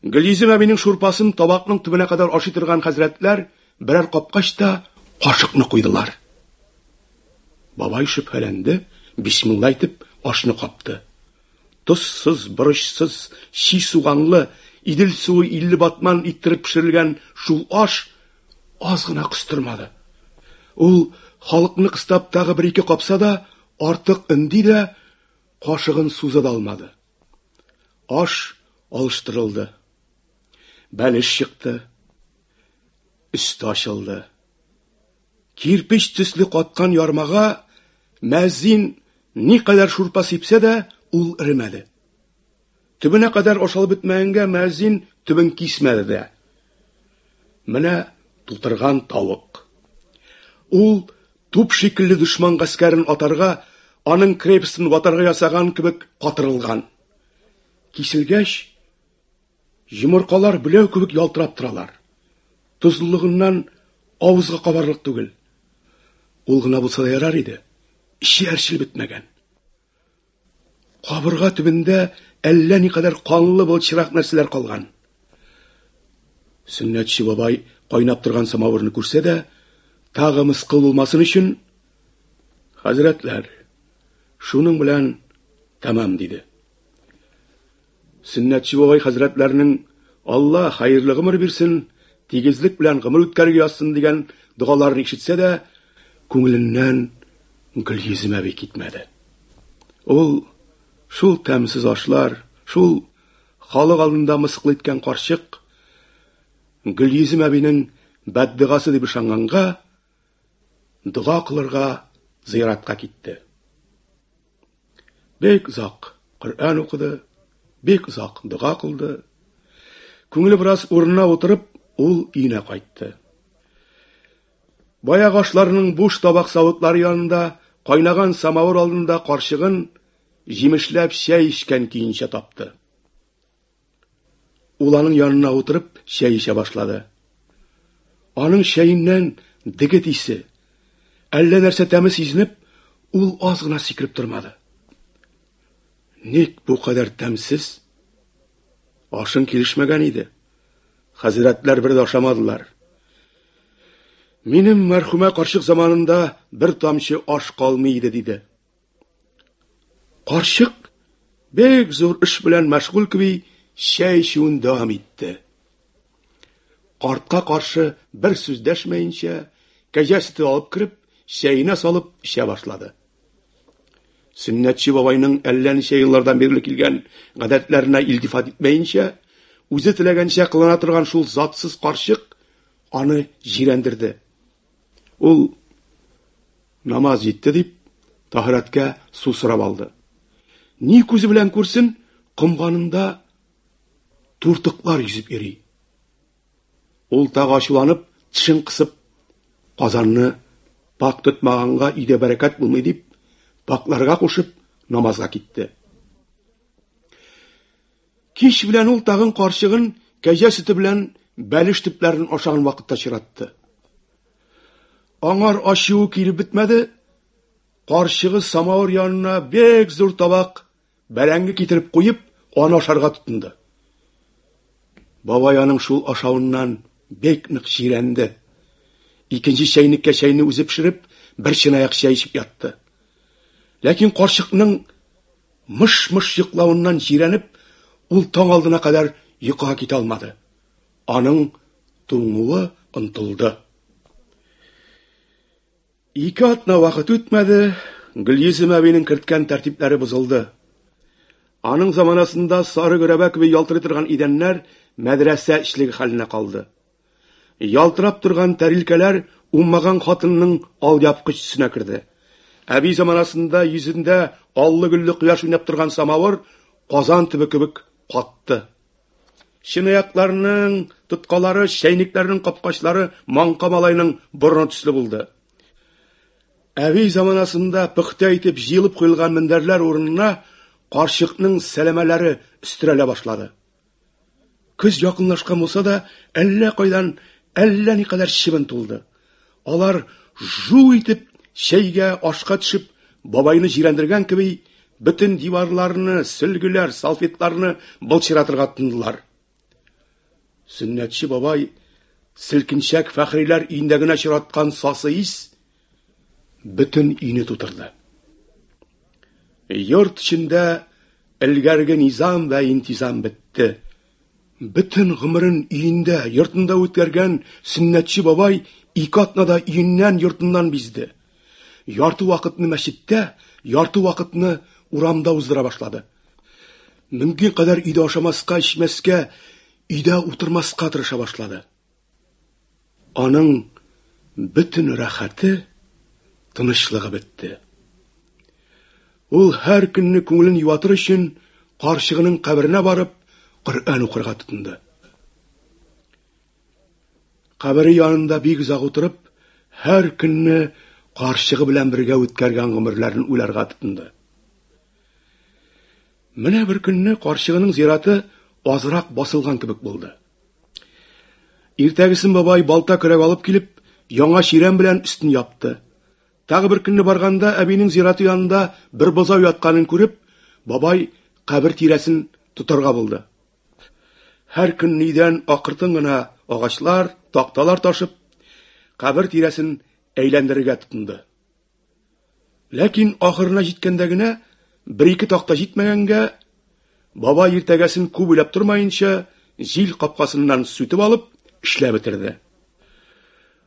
Гөлйөзем әбинең шурпасын табакның төбенә кадәр ашый торган хәзрәтләр берәр капкач та кашыкны куйдылар. Бабай шөбһәләнде, бисмилла әйтеп ашны капты. Тозсыз, борычсыз, чи суганлы, Идел суы 50 батман иттереп пешерелгән шул аш аз гына кыстырмады. Ул халыкны кыстап тагы бер-ике капса да, артык өнди дә, кашыгын суза да алмады. Аш алыштырылды. Бәлеш чыкты. Өсте ачылды. Кирпеч төсле каткан ярмага мәзин никадәр шурпа сипсә дә, ул эремәде. Төбенә кадәр ашалып бетмәгәнгә мәзин төбен кисмәде дә. Менә тутырган тавык. Ул туп шикелле дошман гаскәрен атарга, аның крепостен ватарга ясаган кебек катырылган. Киселгәч, йомыркалар беләү кебек ялтырап торалар. Тозлылыгыннан авызга кабарлык түгел. Ул гына булса да ярар иде. Эче әрчелеп бетмәгән. Кабырга төбендә әллә никадәр канлы былчырак нәрсәләр калган. Сөннәтче бабай кайнап торган самавырны күрсә дә, тагы мыскыл булмасын өчен, хәзрәтләр, шуның белән тәмам, диде. Сөннәтче бабай хәзрәтләренең Алла хәерле гомер бирсен, тигезлек белән гомер үткәрергә язсын дигән догаларын ишетсә дә, күңеленнән Гөлйөзем әби китмәде. Ул шул тәмсез ашлар, шул халык алдында мыскыл иткән карчык Гөлйөзем әбинең бәддогасы дип ышанганга, дога кылырга зыяратка китте. Бик озак Коръән укыды, бик озак дога кылды. Күңеле бераз урынына утырып, ул өенә кайтты. Баягы ашларның буш табак савытлары янында, кайнаган самавыр алдында карчыгын җимешләп чәй эчкән көенчә тапты. Ул аның янына утырып чәй эчә башлады. Аның чәеннән дегет исе, әллә нәрсә тәме сизенеп, ул аз гына сикереп тормады. Ник бу кадәр тәмсез? Ашың килешмәгән иде. Хәзрәтләр бер дә ашамадылар. Минем мәрхүмә карчык заманында бер тамчы аш калмый иде, диде. Карчык бик зур эш белән мәшгуль кеби чәй эчүен дәвам итте. Картка каршы бер сүз дәшмәенчә, кәҗә сөте алып кереп, чәенә салып эчә башлады. Сөннәтче бабайның әллә ничә еллардан бирле килгән гадәтләренә илтифат итмәенчә, үзе теләгәнчә кылана торган шул затсыз карчык аны җирәндерде. Ул намаз җитте дип, таһирәткә су сорап алды. Ни күзе белән күрсен, комганында туртыклар йөзеп йөри. Ул тагы ачуланып, тешен кысып, казанны пак тотмаганга өйдә бәрәкәт булмый дип, пакларга кушып, намазга китте. Кич белән ул тагын карчыгын кәҗә сөте белән бәлеш төпләрен ашаган вакытта чиратты. Аңар ачуы килеп бетмәде, карчыгы самавыр янына бик зур табак бәрәңге китереп куеп, аны ашарга тотынды. Бабай аның шул ашавыннан бик нык җирәнде. Икенче чәйнеккә чәйне үзе пешереп, бер чынаяк чәй эчеп ятты. Ләкин карчыкның мыш-мыш йоклавыннан җирәнеп, ул таң алдына кадәр йокыга китә алмады. Аның туңуы онтылды. Ике атна вакыт үтмәде, Гөлйөзем әбинең керткән тәртипләре бозылды. Аның заманасында сары гөрәбә кебек ялтырый торган идәннәр мәдрәсә эчлеге хәленә калды. Ялтырап торган тәрилкәләр уңмаган хатынның алъяпкыч төсенә керде. Әби заманасында йөзендә аллы-гөлле кояш уйнап торган самавыр казан төбе кебек катты. Чынаякларның тоткалары, чәйнекләрнең капкачлары маңка малайның борыны төсле булды. Әби заманасында пөхтә итеп җыелып куелган мендәрләр урынына карчыкның сәләмәләре өстерәлә башлады. Көз якынлашкан булса да, әллә кайдан әллә никадәр чебен тулды. Алар жу итеп чәйгә, ашка төшеп, бабайны җирәндергән кеби, бөтен диварларны, сөлгеләр, салфетларны былчыратырга тотындылар. Сөннәтче бабай селкенчәк Фәхриләр өендә генә очраткан сасы ис бөтен өйне тутырды. Йорт эчендә элгәрге низам вә интизам бетте. Бөтен гомерен өендә, йортында үткәргән сөннәтче бабай ике атнада өеннән, йортыннан бизде. Ярты вакытны мәчеттә, ярты вакытны урамда уздыра башлады. Мөмкин кадәр өйдә ашамаска, эчмәскә, өйдә утырмаска тырыша башлады. Аның бөтен рәхәте, тынычлыгы бетте. Ул һәр көнне күңелен юатыр өчен карчыгының каберенә барып, Коръән укырга тотынды. Кабере янында бик озак утырып, һәр көнне карчыгы белән бергә үткәргән гомерләрен уйларга тотынды. Менә бер көнне карчыгының зираты азрак басылган кебек булды. Иртәгесен бабай балта көрәк алып килеп, яңа чирәм белән өстен япты. Тагы бер көнне барганда әбинең зираты янында бер бозау ятканын күреп, бабай кабер тирәсен тотарга булды. Һәр көн өйдән акыртын гына агачлар, такталар ташып, кабер тирәсен әйләндерергә тотынды. Ләкин ахырына җиткәндә генә бер-ике такта җитмәгәнгә, бабай иртәгәсен күп уйлап тормаенча, җил капкасыннан сүтеп алып, эшләп бетерде.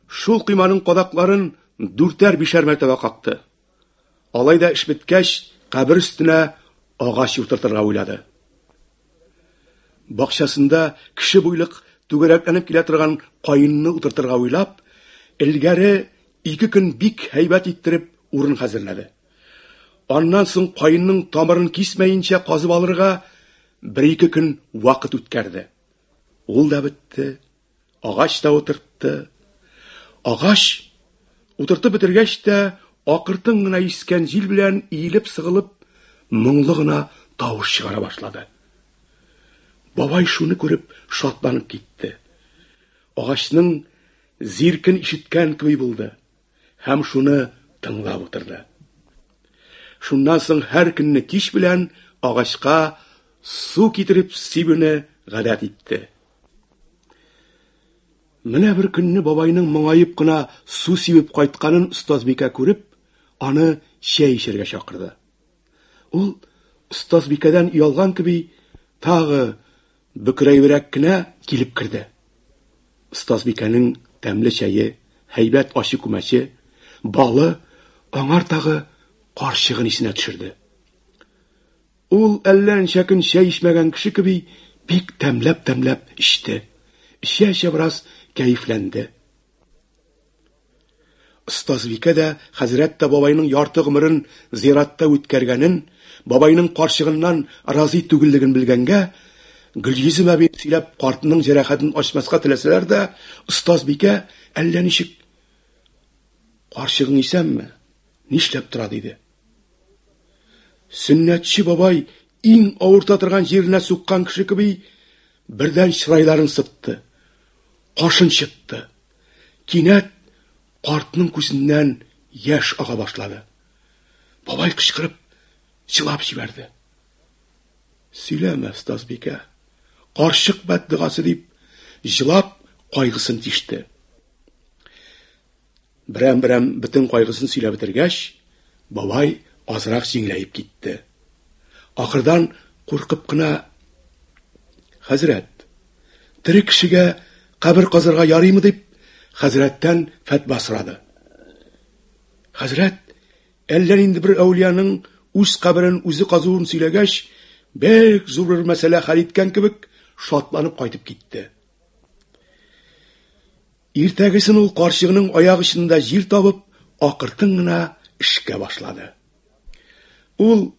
Шул койманың кадакларын дүртәр-бишәр мәртәбә какты. Алай да эш беткәч, кабер өстенә агач утыртырга уйлады. Бакчасында кеше буйлык түгәрәкләнеп килә торган каенны утыртырга уйлап, элгәре ике көн бик һәйбәт иттереп урын хәзерләде. Аннан соң каенның тамырын кисмәенчә казып алырга бер-ике көн вакыт үткәрде. Ул да бетте, агач та утыртты. Агач утыртып бетергәч тә, акыртын гына искән җил белән иелеп-сыгылып, моңлы гына тавыш чыгара башлады. Бабай шуны күреп шатланып китте. Агачның зиркен ишеткән кеби булды һәм шуны тыңлап утырды. Шуннан соң һәр көнне кич белән агачка су китереп сибүне гадәт итте. Менә бер көнне бабайның моңаеп кына су сибеп кайтканын остазбикә күреп, аны чәй эчәргә чакырды. Ул остазбикәдән оялган кеби тагы бөкрәебрәк кенә килеп керде. Остазбикәнең тәмле чәе, һәйбәт ачы күмәче, балы аңар тагы карчыгын исенә төшерде. Ул әллә ничә көн чәй эчмәгән кеше кеби бик тәмләп-тәмләп эчте. Эчә-эчә бераз кәефләнде. Остазбикә дә, хәзрәт тә бабайның ярты гомерен зиратта үткәргәнен, бабайның карчыгыннан разый түгеллеген белгәнгә, Гөлйөзем әби сөйләп картының җәрәхәтен ачмаска теләсәләр дә, остазбикә әллә ничек Карчыгың исәнме? Нишләп тора? диде. Сөннәтче бабай иң авырта торган җиренә суккан кеше кеби бердән чырайларын сытты, кашын чытты. Кинәт картның күзеннән яшь ага башлады. Бабай кычкырып җылап җибәрде. Сөйләмә, остазбикә. Карчык бәддогасы дип, җылап кайгысын тиште. Берәм-берәм бөтен кайгысын сөйләп бетергәч, бабай азрак җиңеләеп китте. Ахырдан куркып кына Хәзрәт, тере кешегә кабер казырга ярыймы дип, хәзрәттән фәтва сорады. Хәзрәт әллә нинди бер әүлияның үз каберен үзе казуын сөйләгәч, бик зур бер мәсьәлә хәл иткән кебек, шатланып кайтып китте. Иртәгесен ул карчыгының аяк очында җир табып, акыртын гына эшкә башлады. Ул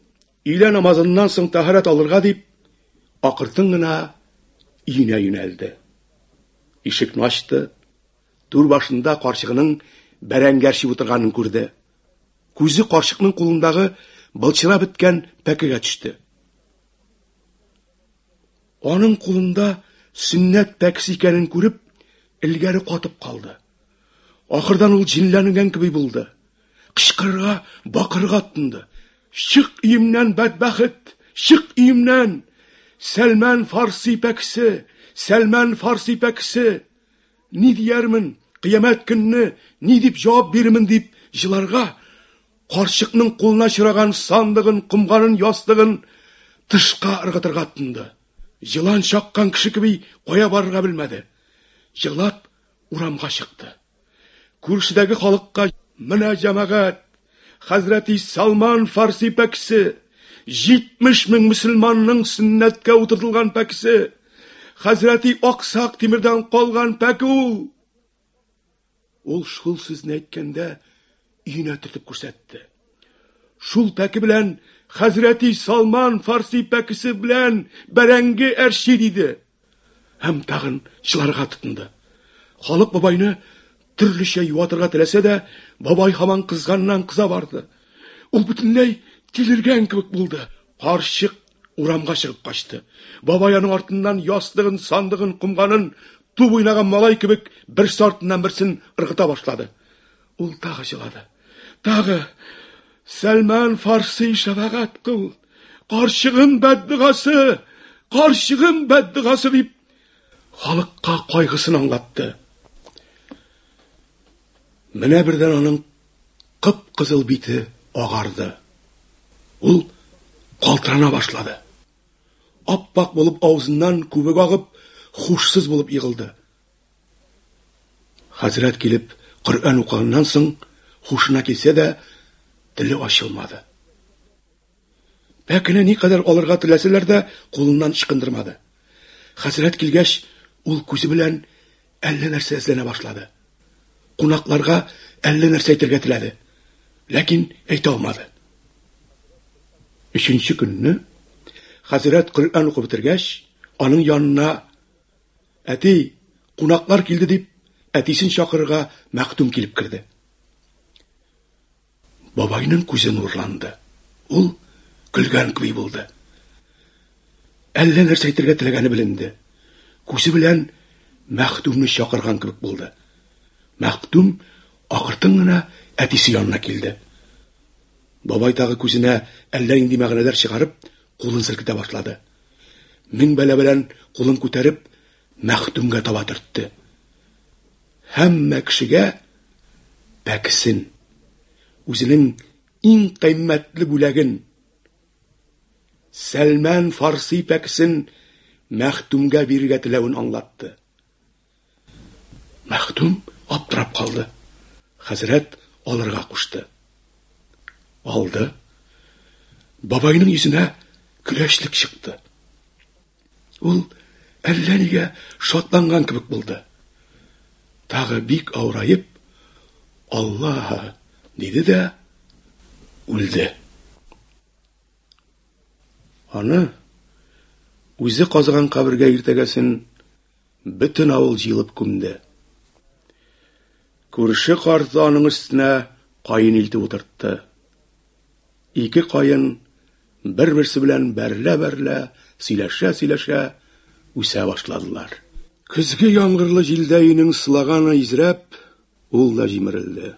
өйлә намазыннан соң тәһарәт алырга дип, акыртын гына өенә юнәлде. Ишекне ачты. Түр башында карчыгының бәрәңге әрчеп утырганын күрде. Күзе карчыкның кулындагы былчырап беткән пәкегә төште. Аның кулында сөннәт пәкесе икәнен күреп, элгәре катып калды. Ахырдан ул җенләнгән кеби булды. Кычкырырга, бакырырга тотынды. Чык өемнән, бәдбәхет! Чык өемнән! Сәлмән Фарси пәкесе! Сәлмән Фарси пәкесе! Ни диярмен, кыямәт көнне ни дип җавап бирермен дип җыларга, карчыкның кулына очраган сандыгын, комганын, ястыгын тышка ыргытырга тотынды. Җылан чаккан кеше кеби кая барырга белмәде. Җылап урамга чыкты. Күршедәге халыкка менә җәмәгать, хәзрәти Салман Фарси пәкесе, 70 мең мөселманның сөннәткә утыртылган пәкесе, хәзрәти Аксак Тимердән калган пәке ул. Ул шул сүзне әйткәндә өенә төртеп күрсәтте. Шул пәке белән хәзрәти Салман Фарси пәкесе белән бәрәңге әрчи диде. Һәм тагын чыларга тотынды. Халык бабайны төрлечә юатырга теләсә дә, бабай һаман кызганнан кыза барды. Ул бөтенләй тилергән кебек булды. Карчык урамга чыгып качты. Бабай аның артыннан ястыгын, сандыгын, комганын туп уйнаган малай кебек берсе артыннан берсен ыргыта башлады. Ул тагы җылады. Тагы Сәлман Фарси шәфәгать кыл. Карчыгым бәддогасы, карчыгым бәддогасы дип халыкка кайгысын аңлатты. Менә бердән аның кып-кызыл бите агарды. Ул калтырана башлады. Аппак булып авызыннан күбек агып, хушсыз булып егылды. Хәзрәт килеп Коръән укыганнан соң хушына килсә дә, теле ачылмады. Пәкене никадәр алырга теләсәләр дә, кулыннан ычкындырмады. Хәзрәт килгәч, ул күзе белән әллә нәрсә эзләнә башлады. Кунакларга әллә нәрсә әйтергә теләде, ләкин әйтә алмады. Өченче көнне хәзрәт Коръән укып бетергәч, аның янына Әти, кунаклар килде дип, әтисен чакырырга мәхдүм килеп керде. Бабайның күзе нурланды. Ул көлгән кеби булды. Әллә нәрсә әйтергә теләгәне беленде. Күзе белән мәхдүмне чакырган кебек булды. Мәхдүм акыртын гына әтисе янына килде. Бабай тагы күзенә әллә нинди мәгънәләр чыгарып, кулын селкетә башлады. Мең бәла белән кулын күтәреп, мәхдүмгә таба төртте. Һәммә кешегә пәкесен, үзенең иң кыйммәтле бүләген, Сәлмән Фарси пәкесен Мәхтүмгә бирергә теләвен аңлатты. Мәхтүм аптырап калды. Хәзрәт алырга кушты. Алды. Бабайның йөзенә көләчлек чыкты. Ул әллә нигә шатланган кебек булды. Тагы бик авыраеп, Аллаһ диде дә үлде. Аны үзе казыган кабергә иртәгәсен бөтен авыл җыелып күмде. Күрше карты аның өстенә каен илтеп утыртты. Ике каен бер-берсе белән бәрелә-бәрелә, сөйләшә-сөйләшә үсә башладылар. Көзге яңгырлы җилдә өйнең сылаганы изрәп, ул да җимерелде.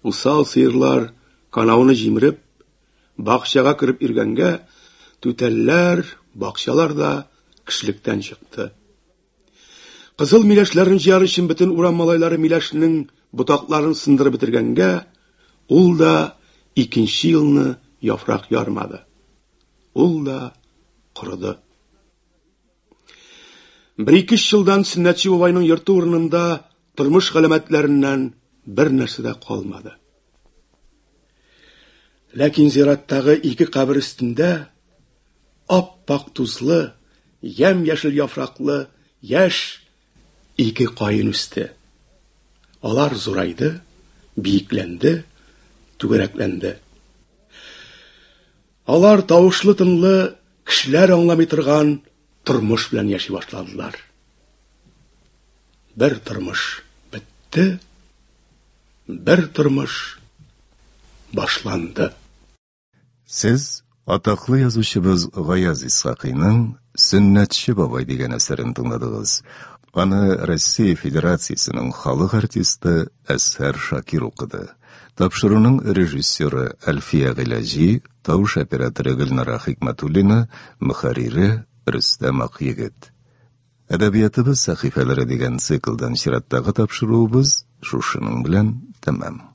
Усал сыерлар канауны җимереп, бакчага кереп йөргәнгә, түтәлләр, бакчалар да кешелектән чыкты. Кызыл миләшләрне җыяр өчен бөтен урам малайлары миләшнең ботакларын сындырып бетергәнгә, ул да икенче елны яфрак ярмады. Ул да корыды. Бер-ике елдан Сөннәтче бабайның йорты урынында тормыш галәмәтләреннән бер нәрсә дә калмады. Ләкин зираттагы ике кабер өстендә ап-ак тузлы, ямь-яшел яфраклы яшь ике каен үсте. Алар зурайды, биекләнде, түгәрәкләнде. Алар тавышлы-тынлы, кешеләр аңламый торган тормыш белән яши башладылар. Бер тормыш бетте, бер тормыш башланды. Сез атаклы язучыбыз Гаяз Исхакыйның Сөннәтче бабай дигән әсәрен тыңладыгыз. Аны Россия Федерациясенең халык артисты Әзһәр Шакир укыды. Тапшыруның режиссеры Әлфия Гыйләҗи, тавыш операторы Гөлнара Хикмәтуллина, мөхәррире Рөстәм Акъегет. Әдәбиятыбыз сәхифәләре дигән циклдан чираттагы тапшыруыбыз шушының белән тәмам.